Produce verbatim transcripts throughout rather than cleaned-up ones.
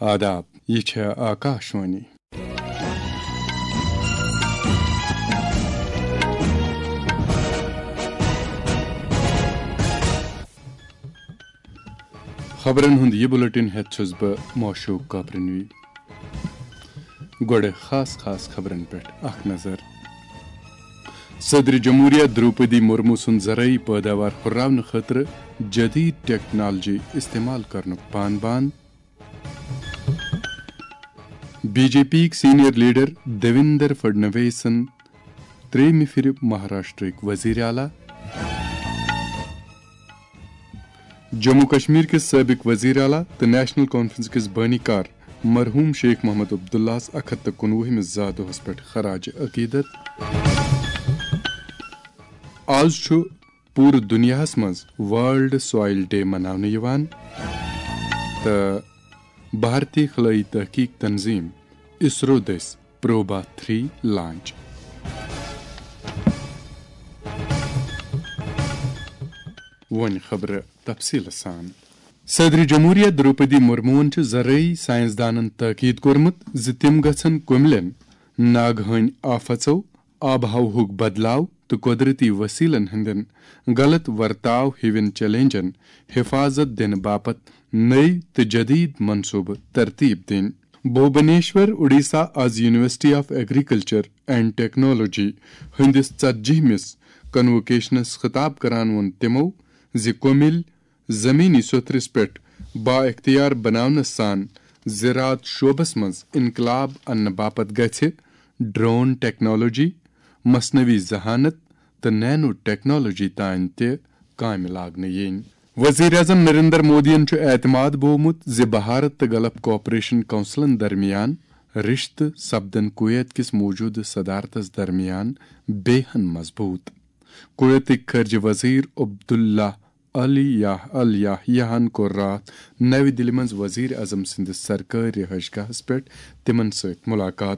آداب، یہِ چھےٚ آکاشوانی۔ خبرن ہُنٛد یہِ بُلٹن ہٮ۪تھ چھُس بہٕ موشوق کاپرنوی۔ گۄڈٕ خاص خاص خبرن پٮ۪ٹھ اکھ نظر۔ صدر جمہوریہ دروپدی مرمو سُنٛد زرعی پٲداوار ہُرراونہٕ خٲطرٕ جدید ٹیکنالوجی استعمال کرنُک پان بان۔ بی جے پی یِک سینئر لیڈر دیویندر فڈنویسن ترٛیٚیِمہِ پھِرِ مہاراشٹرٕکۍ وزیر اعلیٰ۔ جموں کشمیر کِس سٲبق وزیر اعلیٰ تہٕ نیشنل کانفرنس کِس بٲنی کار مرحوم شیخ محمد عبداللہس اکھ ہتھ تہٕ کُنوُہمِس زا دۄہس پٮ۪ٹھ خراج عقیدت۔ آز چھُ پوٗرٕ دُنیاہس منٛز ورلڈ سویل ڈے مناونہٕ یِوان تہٕ بھارتی خلٲیی تحقیق تنظیم اسرو دٔسۍ پروبا تھری لانچ۔ وۄنۍ خبرٕ تفصیٖلہٕ سان۔ صدر جمہوریہ دروپدی مرموہن چھُ زرعی سائنسدانن تاکید کوٚرمُت زِ تِم گژھن کُملٮ۪ن، ناگہٲنۍ آفژو، آب و ہوہُک بدلاو تہٕ قۄدرٔتی وسیلن ہٕنٛدٮ۪ن غلط ورتاو ہِوٮ۪ن چیلنجن حفاظت دِنہٕ باپتھ نٔوۍ تہٕ جدید منصوبہٕ ترتیب دِنۍ۔ بھوبنیشور، اوڈیشہ، آز University of Agriculture and Technology ہٕنٛدِس ژتجیہمِس کنووکیشنس خطاب کران ووٚن تِمو زِ کُمِل زمینی سوٚتھرِس پٮ۪ٹھ با اختیار بناونس سان زراعت شعبس منٛز انقلاب اننہٕ باپتھ گژھِ ڈرون ٹیکنالوجی، مصنوعی ذہانت تہٕ نینو ٹیکنالوجی تام تہِ کامہِ لاگنہٕ یِنۍ۔ وزیر اعظم نریندر مودیَن چھُ اعتماد بوومُت زِ بھارت تہٕ گلف کوآپریشن کونسلن درمیان رشتہٕ سپدن کویت کِس موجودٕ صدارتس درمیان بیٚیہِ ہن مضبوط۔ کویتٕکۍ خارجہ وزیر عبداللہ علی یا الیاہیہن کوٚر راتھ نَوِ دِلہِ منٛز وزیر اعظم سٕنٛدِس سرکٲرۍ رہائش گاہس پٮ۪ٹھ تِمن سۭتۍ ملاقات۔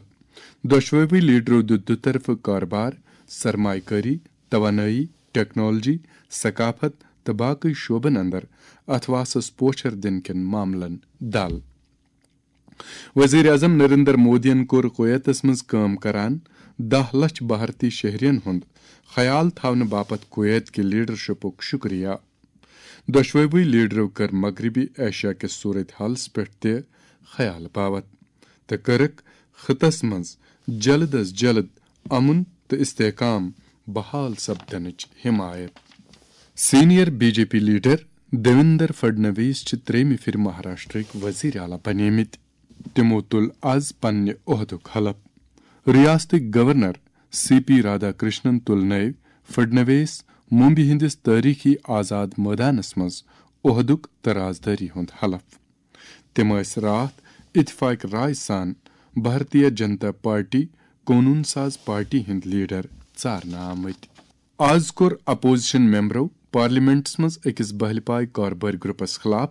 دۄشوٕے لیڈرو دیُت دُطرفہٕ کارٕبار، سرمایہ کٲری، توانٲیی، ٹیکنالوجی، ثقافت تہٕ باقی شعبن اندر اتھواسس پوچھر دِنہٕ کٮ۪ن معاملن دل۔ وزیر اعظم نریندر مودیَن کوٚر کویتس منٛز کٲم کران دَہ لچھ بھارتی شہرین ہُنٛد خیال تھاونہٕ باپتھ کویت کہِ لیڈرشپُک شکریہ۔ دۄشوٕے لیڈرو کٔر مغربی ایشیا کِس صورت حالس پٮ۪ٹھ تہِ خیال باوتھ تہٕ کٔرٕکھ خطس منٛز جلد از جلد امن تہٕ استحکام بحال سپدنٕچ حمایت۔ Senior B J P leader Devendra Fadnavis چھِ ترٛیٚیِمہِ پھِرِ مہاراشٹرٕکۍ وزیر اعلیٰ بنیمٕتۍ۔ تِمو تُل از پننہِ عہدُک حلف۔ ریاستٕکۍ governor C P Radhakrishnan تُل نٲوۍ فڈنویس ممبئی ہٕنٛدِس تٲریخی آزاد مٲدانس منٛز عہدُک تہٕ رازدٲری ہُنٛد حلف۔ تِم ٲسۍ راتھ اتفاق رائے سان بھارتیہ جنتا پارٹی قونوٗن ساز پارٹی ہٕنٛدۍ لیڈر ژارنہٕ آمٕتۍ۔ آز کوٚر اپوزیشن ممبرو پارلیمنٹس منٛز أکِس بہلہِ پایہِ کاربٲرۍ گروپس خلاف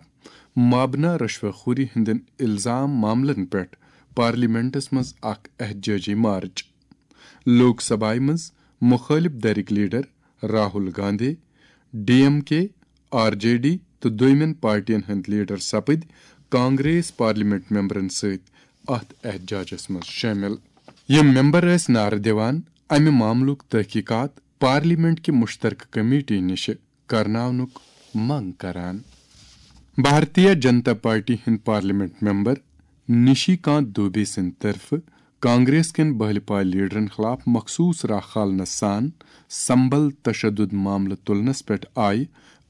مابنا رشوٕ خوری ہٕنٛدٮ۪ن الزام معاملن پٮ۪ٹھ پارلیمنٹس منٛز اکھ احتجاجی مارچ۔ لوک سبھایہ منٛز مخٲلف دھرٕکۍ leader Rahul Gandhi, D M K, R J D تہٕ دوٚیمٮ۪ن پارٹین ہٕنٛدۍ لیڈر سپٕدۍ کانگریس پارلیمنٹ ممبرن سۭتۍ اتھ احتجاجس منٛز شٲمِل۔ یِم ممبر ٲسۍ نعرٕ دِوان امہِ معاملُک تحقیقات پارلیمنٹ کہِ مشترکہ کمیٹی نِش کرناونُک منگ کران۔ بھارتیہ جنتا پارٹی ہٕنٛدۍ پارلیمنٹ ممبر نشی کانت دوبے سٕنٛدِ طرفہٕ کانگریس کٮ۪ن بہلہِ پایہِ لیڈرن خلاف مخصوص راہ کھالنس سان سمبل تشدد معاملہٕ تُلنس پٮ۪ٹھ آیہِ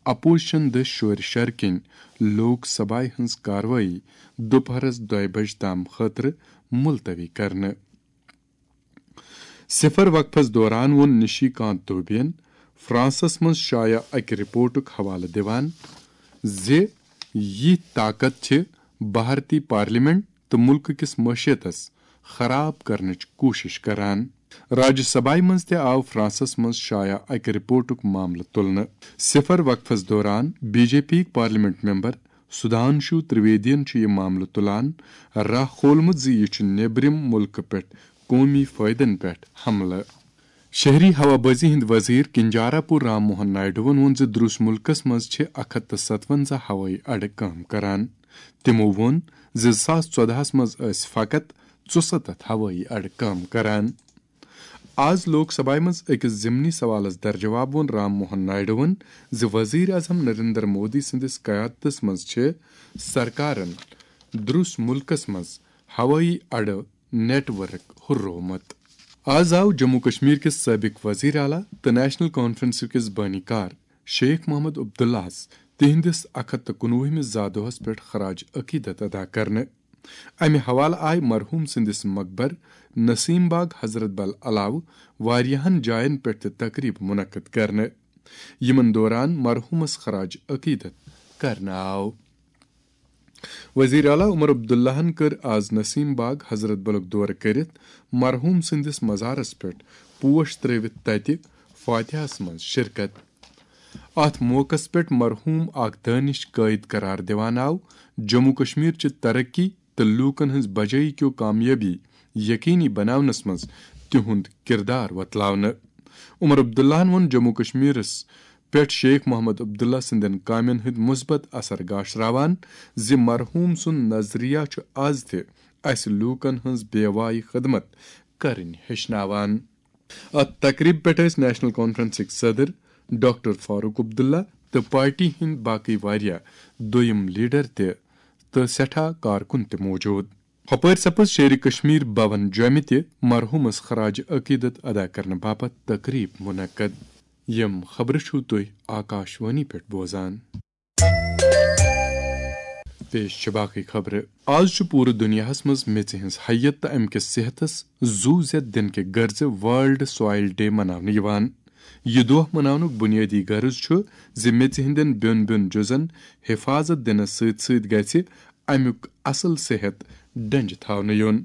اپوزیشن دٔسۍ شورِ شرٕ کِنۍ لوک سبھایہ ہٕنٛز کاروٲیی دُپہرس دۄیہِ بجہِ تام خٲطرٕ ملتوی کرنہٕ۔ صفر وقفس دوران ووٚن نشی کانت دوبین فرانسس منٛز شایع اکہِ رپورٹُک حوالہٕ دِوان زِ یِتھۍ طاقت چھِ بھارتی پارلیمنٹ تہٕ مُلکہٕ کِس معیشتس خراب کرنٕچ کوٗشش کران۔ راجیہ سبھایہ منٛز تہِ آو فرانسس منٛز شایع اکہِ رپورٹُک معاملہٕ تُلنہٕ۔ صفر وقفس دوران بی جے پی یِک پارلیمنٹ ممبر سدھانشو ترویدین چھُ یہِ معاملہٕ تُلان راہ کھولمُت زِ یہِ چھُ نیبرِم مُلکہٕ پٮ۪ٹھ قومی فٲیدن پٮ۪ٹھ حملہٕ۔ شہری ہوابازی ہٕنٛدۍ وزیر کنجارا پور رام موہن نائیڈوَن ووٚن زِ دروس مُلکَس منٛز چھِ اکھ ہتھ تہٕ ستونزہ ہوٲیی اڈٕ کٲم کران۔ تِمَو ووٚن زِ زٕ ساس ژۄدہَس منٛز ٲسۍ فقط ژُسَتتھ ہوٲیی اڈٕ کٲم کران۔ آز لوک سبھایہ منٛز أکِس ضمنی سوالس درجواب ووٚن رام موہن نائیڈوَن زِ وزیر اعظم نریندر مودی سٕنٛدِس قیادتس منٛز چھِ سرکارن درُس مُلکس منٛز ہوٲیی اڈٕ نیٹ ورک ہُررومُت۔ آز آو جموں کشمیر کِس سٲبق وزیر اعلیٰ تہٕ نیشنل کانفرنس کِس بٲنی کار شیخ محمد عبداللہَس تِہنٛدِس اکھ ہتھ تہٕ کُنوُہمِس زا دۄہَس پٮ۪ٹھ خراج عقیدت ادا کرنہٕ۔ امہِ حوالہٕ آیہِ مرحوم سٕنٛدِس مقبر نسیم باغ حضرت بل علاوٕ واریاہَن جایَن پٮ۪ٹھ تہِ تقریب منعقد کرنہٕ۔ یِمن دوران مرحومس خراج عقیدت کرنہٕ آو۔ وزیر اعلیٰ عمر عبداللہَن کٔر آز نسیم باغ حضرت بلُک دورٕ کٔرِتھ مرحوم سٕنٛدِس مزارس پٮ۪ٹھ پوش ترٲوِتھ تتہِ فاتحہس منٛز شرکت۔ اتھ موقعس پٮ۪ٹھ مرحوم اکھ دٲنِش قٲئد قرار دِوان آو جموں کشمیر چہِ ترقی تہٕ لوٗکن ہٕنٛز بجٲیی کیو کامیٲبی یقینی بناونس منٛز تِہُنٛد کردار وۄتلاونہٕ۔ عمر عبداللہَن ووٚن جموں کشمیرس پٮ۪ٹھ شیخ محمد عبداللہ سٕنٛدٮ۪ن کامٮ۪ن ہٕنٛدۍ مثبت اثر گاشراوان زِ مرحوم سُنٛد نظریہ چھُ از تہِ اسہِ لوٗکن ہٕنٛز بے وایہِ خدمت کرٕنۍ ہیٚچھناوان۔ اتھ تقریبہِ پٮ۪ٹھ ٲسۍ نیشنل کانفرنسٕکۍ صدر ڈاکٹر فاروق عبداللہ تہٕ پارٹی ہٕنٛدۍ باقٕے واریاہ دوٚیِم لیڈر تہِ تہٕ سٮ۪ٹھاہ کارکُن تہِ موجود۔ ہۄپٲرۍ سپٕز شیرِ کشمیر بھون جوٚمہِ تہِ مرحومس خراج عقیدت ادا کرنہٕ باپتھ تقریب منعقد۔ یِم خبرٕ چھِو تُہۍ آکاشوانی پٮ۪ٹھ بوزان۔ پیش چھِ باقٕے خبرٕ۔ آز چھُ پوٗرٕ دُنیاہَس منٛز میٚژِ ہٕنٛز حیت تہٕ اَمہِ کِس صحتَس زُو زیٚد دِنہٕ کہِ غرضہٕ ورلڈ سویل ڈے مناونہٕ یِوان۔ یہِ دۄہ مناونُک بُنیٲدی غرض چھُ زِ میٚژِ ہٕنٛدٮ۪ن بیوٚن بیوٚن جُزَن حفاظت دِنَس سۭتۍ سۭتۍ گژھِ اَمیُک اَصٕل صحت ڈنٛجہِ تھاونہٕ یُن۔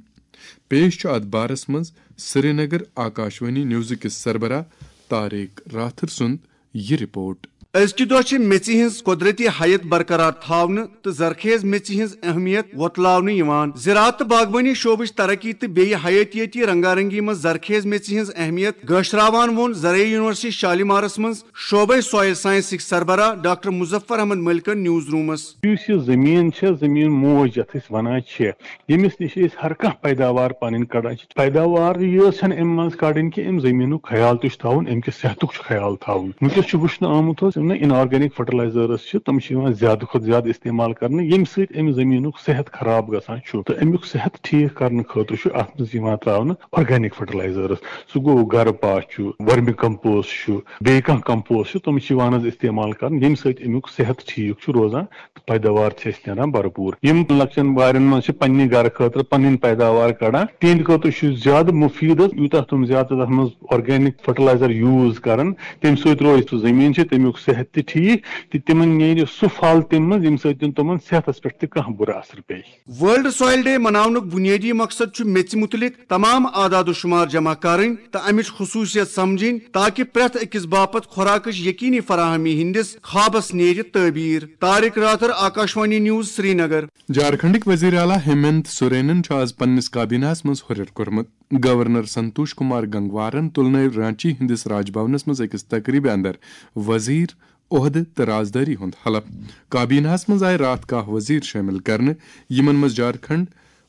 پیش چھُ اَتھ بارَس منٛز سرینگر آکاشوانی نیوزٕ کِس سربراہ طارق راتھر سُنٛد یہِ رپورٹ۔ أزکہِ دۄہ چھِ میٚژِ ہٕنٛز قۄدرٔتی حیت برقرار تھاونہٕ تہٕ زرخیز میٚژِ ہٕنٛز اہمیت وۄتلاونہٕ یِوان۔ زراعت تہٕ باغبٲنی شعبٕچ ترقی تہٕ بیٚیہِ حیاتیٲتی رنگارنگی منٛز زرخیز میٚژِ ہٕنٛز اہمیت گٲشراوان ووٚن زرعی یونیورسٹی شالیمارس منٛز شعبے سویل سائنسٕکۍ سربراہ ڈاکٹر مظفر احمد ملکن نیوز رومس۔ یُس یہِ زٔمیٖن چھےٚ، زٔمیٖن موج یَتھ أسۍ وَنان چھِ، ییٚمِس نِش أسۍ ہر کانٛہہ پیداوار پَنٕنۍ کَڑان چھِ۔ پیداوار یٲژ چھَنہٕ اَمہِ منٛز کَڑٕنۍ کہِ اَمہِ زٔمیٖنُک خیال تہِ چھُ تھاوُن، اَمہِ کِس صحتُک چھُ خیال تھاوُن۔ وٕنکیٚس چھُ وٕچھنہٕ آمُت حظ، یِم نہٕ inorganic fertilizers چھِ، تِم چھِ یِوان زیادٕ کھۄتہٕ زیادٕ استعمال کرنہٕ، ییٚمہِ سۭتۍ اَمہِ زٔمیٖنُک صحت خراب گژھان چھُ۔ تہٕ اَمیُک صحت ٹھیٖک کرنہٕ خٲطرٕ چھُ اَتھ منٛز یِوان ترٛاونہٕ organic fertilizers۔ سُہ گوٚو گرٕ پاہ چھُ، ورمی compost چھُ، بیٚیہِ کانٛہہ compost چھُ، تِم چھِ یِوان حظ استعمال کرنہٕ، ییٚمہِ سۭتۍ اَمیُک صحت ٹھیٖک چھُ روزان۔ پیداوار چھِ اَسہِ نیران بھرپوٗر۔ یِم لۄکچن وارٮ۪ن منٛز چھِ پننہِ گرٕ خٲطرٕ پنٕنۍ پیداوار کڑان، تِہنٛدِ خٲطرٕ چھُ زیادٕ مُفیٖد حظ، یوٗتاہ تِم زیادٕ تتھ منٛز organic fertilizer use کرن، تَمہِ سۭتۍ روزِ سُہ زٔمیٖن چھِ، تَمیُک صحت تہِ ٹھیٖک، تہٕ تِمن نیرِ سُہ پھل تَمہِ منٛز، ییٚمہِ سۭتۍ تِم تِمن صحتس پٮ۪ٹھ تہِ کانٛہہ بُرٕ اثر پیٚیہِ۔ ورلڈ سویل ڈے مناونُک بُنیٲدی مقصد چھُ میٚژِ مُتعلق تمام اعداد و شمار جمع کرٕنۍ تہٕ امِچ خصوٗصیت سمجھٕنۍ، تاکہ پرٛٮ۪تھ أکِس باپتھ خوراکٕچ یقینی فراہمی ہٕنٛدِس خوابس نیرِ تعبیٖر۔ طارق راتھر، آکاشوانی نیوز، سرینگر۔ جھارکھنڈٕکۍ وزیر اعلیٰ ہیمنت سورینن چھُ آز پننِس کابینہس منٛز ہُرٮ۪ر کوٚرمُت۔ گورنر سنتوش کمار گنگوارن تُلنٲوۍ رانچی ہٕنٛدِس راج بھونس منٛز أکِس تقریبہِ اندر وزیر، عہدٕ تہٕ رازدٲری ہُنٛد حلف۔ کابینہس منٛز آیہِ راتھ کاہ وزیر شٲمِل کرنہٕ، یِمن منٛز جھارکھنڈ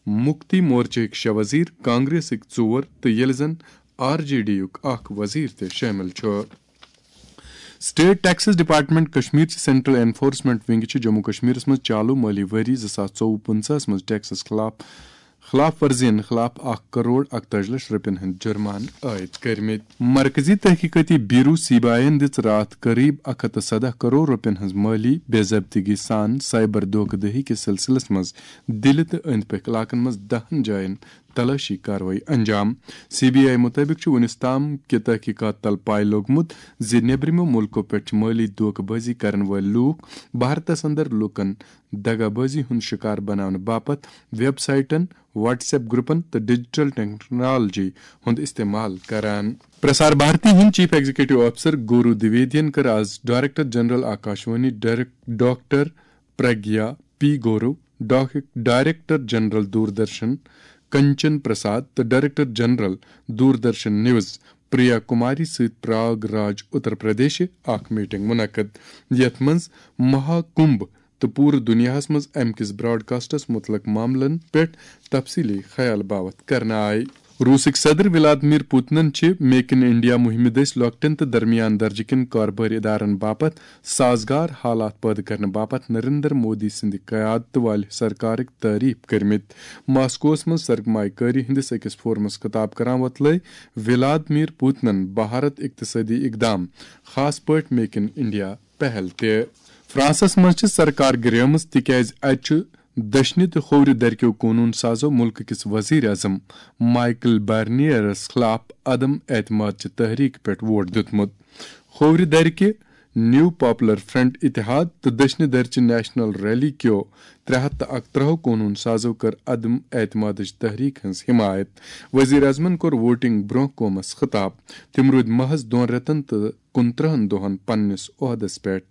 مُکتی مورچہٕکۍ شےٚ وزیر، کانگریسٕکۍ ژور تہٕ ییٚلہِ زن آر جے ڈی یُک اکھ وزیر تہِ شٲمِل چھُ۔ State Taxes Department کشمیر چہِ Central Enforcement Wing چھِ جموں کشمیرس منٛز چالو مٲلی ؤری زٕ ساس ژوٚوُہ پٕنٛژٕہس منٛز ٹیکسس خلاف خلاف ورزین خلاف اکھ کرور اکتٲجی لچھ رۄپین ہٕنٛدۍ جُرمانہٕ عٲید کٔرمٕتۍ۔ مرکزی تحقیقاتی بیورو سی بی آئی یَن دِژ راتھ قریب اکھ ہتھ تہٕ سدہ کرور رۄپین ہٕنٛز مٲلی بے ضٲبطگی سان سائبر دھوکہ دہی کِس سلسلس منٛز دِلہِ تہٕ أنٛدۍ پٔکھۍ علاقن منٛز دَہن جاین تلٲشی کاروٲیی انجام۔ سی بی آئی مُطٲبِق چھُ وُنیُس تام کہِ تحقیقات تل پاے لوٚگمُت زِ نیبرِمو مُلکو پٮ۪ٹھ چھِ مٲلی دھوکہ بٲزی کرن وٲلۍ لوٗکھ بھارتس اندر لوٗکن دغا بٲزی ہُنٛد شکار بناونہٕ باپتھ ویب سائٹن، واٹس ایپ گروپن تہٕ ڈیجیٹل ٹیکنالوجی ہُنٛد استعمال کران۔ پرسار بھارتی ہٕنٛدۍ چیف ایگزیکٹو آفیسر گورو دویدین کٔر آز ڈائریکٹر جنرل آکاشوانی ڈائریک-، ڈاکٹر پرگیا پی گورو، ڈاک-، ڈائریکٹر جنرل دوردرشن کنچن پرساد تہٕ director general Doordarshan news Priya Kumari سۭتۍ پراگ راج اتر پردیش اکھ میٹنگ منعقد، یتھ منٛز مہا کمبھ تہٕ پوٗرٕ دُنیاہَس منٛز اَمہِ کِس براڈکاسٹَس مُتعلق معاملَن پٮ۪ٹھ تفصیٖلی خیال باوَتھ کرنہٕ آیہِ۔ روٗسٕکۍ صدر ولادمیر پوتنَن چھِ میک ان انڈیا مُہِمہِ دٔسۍ لۄکٹٮ۪ن تہٕ درمیان درجہٕ کٮ۪ن کاربٲرۍ ادارن باپتھ سازگار حالات پٲدٕ کرنہٕ باپتھ نریندر مودی سٕنٛدِ قیادتہٕ والہِ سرکارٕکۍ تعریف کٔرمٕتۍ۔ ماسکوَس منٛز سرمایہ کٲری ہٕنٛدِس أکِس فورمَس خطاب کران وۄتلٲے ولادمیر پوتنَن بھارت اقتصٲدی اقدام، خاص پٲٹھۍ میک ان انڈیا پہل تہِ۔ فرانسس منٛز چھِ سرکار گریمٕژ، تِکیازِ اتہِ چھُ دٔچھنہِ تہٕ کھوورِ درکیو قونوٗن سازو مُلکہٕ کِس وزیر اعظم مائیکل بارنیئرس خلاف عدم اعتماد چہِ تحریک پٮ۪ٹھ ووٹ دیُتمُت۔ کھوورِ درکہِ نیو پاپولر فرنٹ اتحاد تہٕ دٔچھنہِ درچہِ نیشنل ریلی کیو ترٛےٚ ہتھ تہٕ اکترٛہو قونوٗن سازو کٔر عدم اعتمادٕچ تحریک ہٕنٛز حمایت۔ وزیر اعظمن کوٚر ووٹنگ برونٛہہ قومس خطاب۔ تِم روٗدۍ محض دۄن رٮ۪تن تہٕ کُنترٕہن دۄہن پننِس عہدس پٮ۪ٹھ۔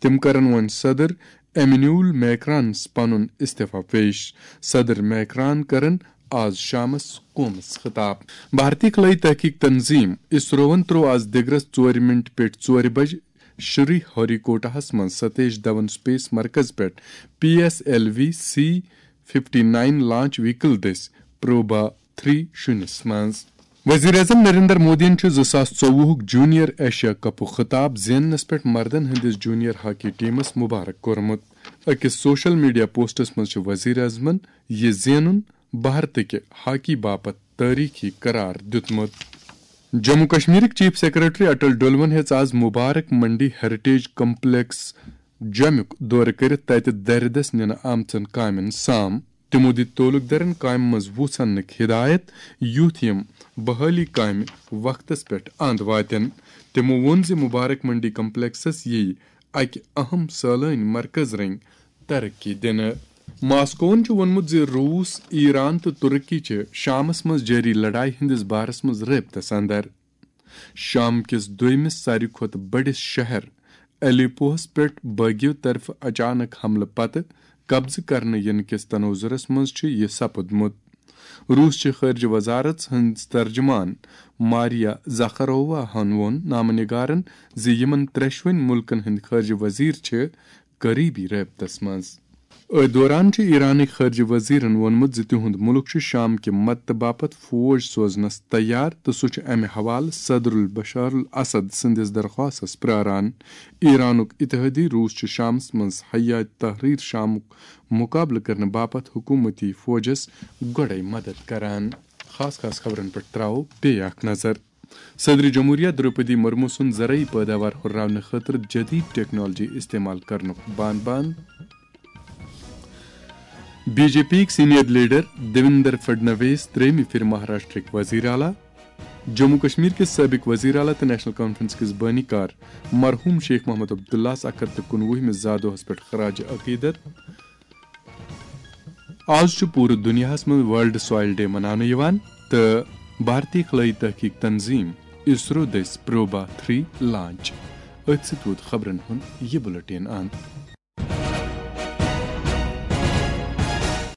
تِم کرن وۄنۍ صدر ایمینول میکرانس پنُن استعفی پیش۔ صدر میکران کرن آز شامس قومس خطاب۔ بھارتی خلٲیی تحقیق تنظیم اسروَن تروو آز دِگرس ژورِ منٹ پٮ۪ٹھ ژورِ بجہِ شری ہری کوٹاہس منٛز ستیش دھون سپیس مرکز پٮ۪ٹھ P S L V C fifty nine launch vehicle دٔسۍ پروبھا تھری شوٗنِس منٛز۔ وزیر اعظم نریندر مودیَن چھُ زٕ ساس ژوٚوُہُک جونیئر ایشیا کپُک خطاب زیننس پٮ۪ٹھ مردن ہٕنٛدِس جونیئر ہاکی ٹیمس مبارک کوٚرمُت۔ أکِس سوشل میڈیا پوسٹس منٛز چھُ وزیر اعظمن یہِ زینُن بھارتٕکہِ ہاکی باپتھ تٲریخی قرار دیُتمُت۔ جموں کشمیرٕکۍ چیف سیکرٹری اٹل ڈولون ہیٚژ آز مبارک منڈی ہیریٹیج کمپلیکس جوٚمُک دورٕ کٔرِتھ تتہِ دردس نِنہٕ آمژن کامٮ۪ن سام۔ تِمو دِتۍ تعلقدارن کامہِ منٛز وُژھ اننٕکۍ ہدایت، یُتھ یِم بحالی کامہِ وقتس پٮ۪ٹھ اند واتن۔ تِمو ووٚن زِ مبارک منڈی کمپلیکسس یِیہِ اکہِ اہم سٲلٲنۍ مرکز رٔنگۍ ترقی دِنہٕ۔ ماسکوہن چھُ ووٚنمُت زِ روٗس، ایران تہٕ ترکی چھِ شامس منٛز جٲری لڑایہِ ہٕنٛدِس بارس منٛز رٲبطس اندر۔ شام کِس دوٚیمِس ساروی کھۄتہٕ بٔڑِس شہر الیپوہس پٮ۪ٹھ بٲغیو طرفہٕ اچانک حملہٕ پتہٕ قبضہٕ کرنہٕ ینہٕ کِس تناظرس منٛز چھُ یہِ سپُدمُت۔ روٗس چہِ خارجہ وزارت ہٕنٛز ترجمان ماریا زاخارووا ہن ووٚن نامہ نگارن زِ یِمن ترٛٮ۪شوٕنی مُلکن ہٕنٛدۍ خارجہ وزیر چھِ قریبی رٲبطس منٛز۔ أتھۍ دوران چھُ ایرانٕکۍ خارجہ وزیرن ووٚنمُت زِ تِہُنٛد مُلک چھُ شام کہِ مدتہٕ باپتھ فوج سوزنس تیار تہٕ سُہ چھُ امہِ حوالہٕ صدر البشار الاسد سٕنٛدِس درخواستس پراران۔ ایرانُک اتحادی روٗس چھُ شامس منٛز حیات تحریر شامُک مقابلہٕ کرنہٕ باپتھ حکومتی فوجس گۄڈے مدد کران۔ خاص خاص خبرن پٮ۪ٹھ تراوو بیٚیہِ اکھ نظر۔ صدر جمہوریہ دروپدی مرمو سُنٛد زرعی پٲداوار ہُرراونہٕ خٲطرٕ جدید ٹیکنالوجی استعمال کرنُک بان بان۔ بی جے پی یِک سینئر لیڈر دیویندر فڈنویس ترٛیٚیِمہِ پھِرِ مہاراشٹرٕکۍ وزیر اعلیٰ۔ جموں کشمیر کِس سٲبق وزیر اعلیٰ تہٕ نیشنل کانفرنس کِس بٲنی کار مرحوم شیخ محمد عبداللہس اکھ ہتھ تہٕ کُنوُہمِس زا دۄہس پٮ۪ٹھ خراج عقیدت۔ آز چھُ پوٗرٕ دُنیاہَس منٛز ورلڈ سوائل ڈے مناونہٕ یِوان تہٕ بھارتی خلٲیی تحقیق تنظیم اسرو دٔسۍ پروبھا تھری لانچ۔ أتھۍ سۭتۍ ووت خبرن ہُنٛد یہِ بُلٹن اند۔